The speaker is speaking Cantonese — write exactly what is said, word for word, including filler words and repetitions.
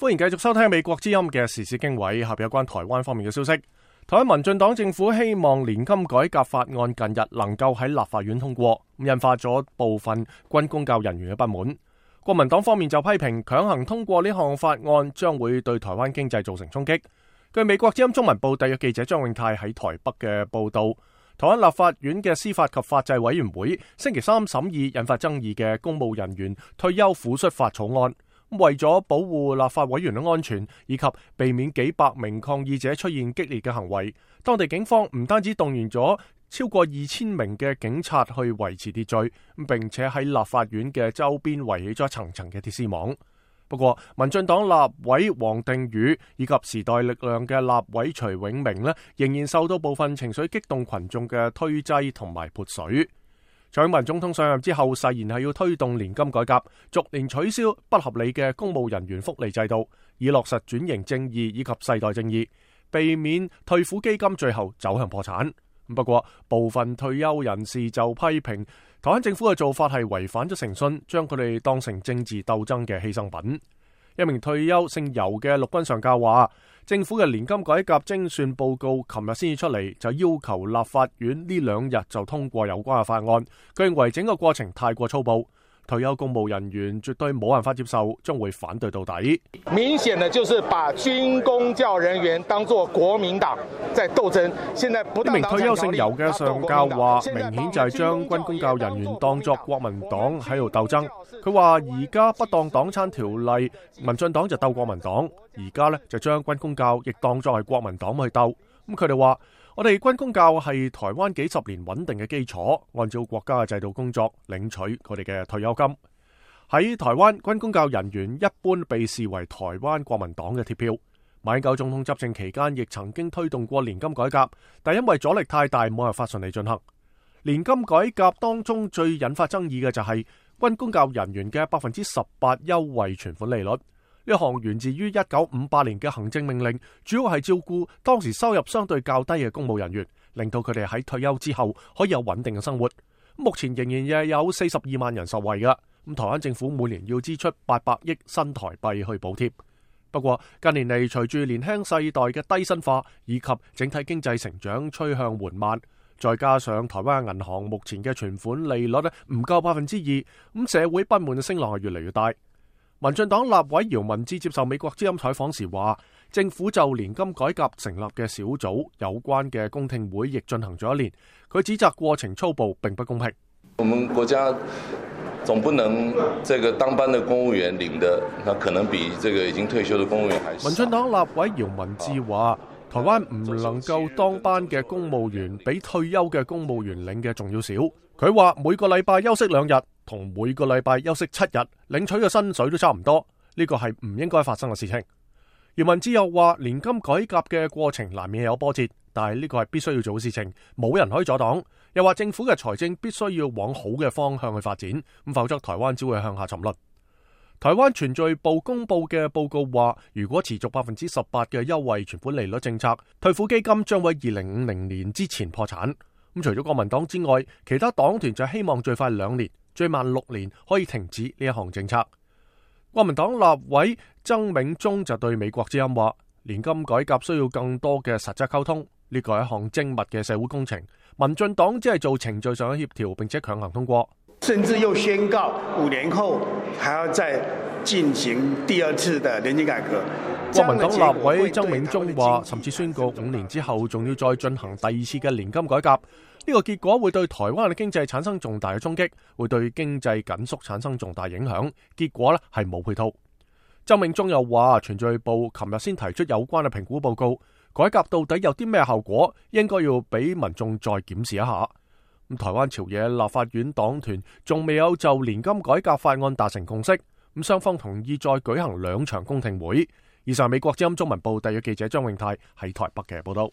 歡迎繼續收聽美國之音嘅時事經緯，下邊有關台灣方面嘅消息。台灣民進黨政府希望年金改革法案近日能夠喺立法院通過，引發咗部分軍公教人員嘅不滿。國民黨方面就批評強行通過呢項法案將會對台灣經濟造成衝擊。據美國之音中文部特約記者張永泰喺台北嘅報道，台灣立法院嘅司法及法制委員會星期三審議引發爭議嘅公務人員退休撫恤法草案。為咗保護立法委員嘅安全，以及避免幾百名抗議者出現激烈嘅行為，當地警方唔單止動員咗超過二千名嘅警察去維持秩序，並且喺立法院嘅周邊圍起咗層層嘅鐵絲網。不過，民進黨立委王定宇以及時代力量嘅立委徐永明呢，仍然受到部分情緒激動群眾嘅推擠同埋潑水。蔡英文總統上任之後，誓言係要推動年金改革，逐年取消不合理嘅公務人員福利制度，以落實轉型正義以及世代正義，避免退撫基金最後走向破產。不過，部分退休人士就批評台灣政府嘅做法係違反咗誠信，將佢哋當成政治鬥爭嘅犧牲品。一名退休姓游嘅陸軍上校話，政府嘅年金改革精算報告琴日先至出嚟，就要求立法院呢兩日就通過有關嘅法案。佢認為整個過程太過粗暴，退休公務人員絕對冇辦法接受，將會反對到底。明顯的就是把軍公教人員當作國民黨在鬥爭。現在不當一名退休姓游嘅上校話，明顯就係將軍公教人員當作國民黨喺度鬥爭。佢話而家不當黨產條例，民進黨就鬥國民黨，而家呢就將軍公教亦當作係國民黨去鬥。咁佢哋話，我哋軍公教係台灣幾十年穩定嘅基礎，按照國家嘅制度工作，領取佢哋嘅退休金。喺台灣，軍公教人員一般被視為台灣國民黨嘅鐵票。馬英九總統執政期間亦曾經推動過年金改革，但因為阻力太大，冇辦法順利進行。年金改革當中最引發爭議嘅就係軍公教人員嘅百分之十八優惠存款利率。呢項源自於一九五八年嘅行政命令，主要係照顧當時收入相對較低嘅公務人員，令到佢哋喺退休之後可以有穩定嘅生活。目前仍然有四十二萬人受惠嘅。咁台灣政府每年要支出八百億新台幣去補貼。不過近年嚟，隨住年輕世代嘅低薪化以及整體經濟成長趨向緩慢，再加上台灣銀行目前嘅存款利率咧唔夠百分之二，咁社會不滿嘅聲浪係越嚟越大。民進黨立委姚文智接受美國之音採訪時話，政府就年金改革成立嘅小組有關嘅公聽會亦進行咗一年，佢指責過程粗暴並不公平。我們國家總不能這個當班的公務員領的，那可能比這個已經退休的公務員還少。民進黨立委姚文智話，台灣唔能夠當班嘅公務員比退休嘅公務員領嘅仲要少。佢話每個禮拜休息兩日，同每個禮拜休息七日，領取嘅薪水都差唔多，呢個係唔應該發生嘅事情。姚文智又話，年金改革嘅過程難免有波折，但係呢個係必須要做嘅事情，冇人可以阻擋。又話政府嘅財政必須要往好嘅方向去發展，咁否則台灣只會向下沉淪。台灣存罪部公布嘅報告話，如果持續百分之十八嘅優惠存款利率政策，退撫基金將會二零五零年之前破產。咁除咗國民黨之外，其他黨團就希望最快兩年，最慢六年可以停止呢一項政策。國民黨立委曾銘宗就對美國之音話，年金改革需要更多嘅實質溝通，呢個係一項精密嘅社會工程。民進黨只係做程序上嘅協調，並且強行通過，甚至又宣告五年後還要再進行第二次的年金改革。國民黨立委曾銘宗話，甚至宣告五年之後仲要再進行第二次嘅年金改革。呢個結果會對台灣嘅經濟產生重大嘅衝擊，會對經濟緊縮產生重大影響。結果咧係冇配套。曾銘宗又話，存罪部琴日先提出有關嘅評估報告，改革到底有啲咩效果，應該要俾民眾再檢視一下。咁台灣朝野立法院黨團仲未有就年金改革法案達成共識，咁雙方同意再舉行兩場公聽會。以上美國之音中文部特約記者張永泰喺台北嘅報道。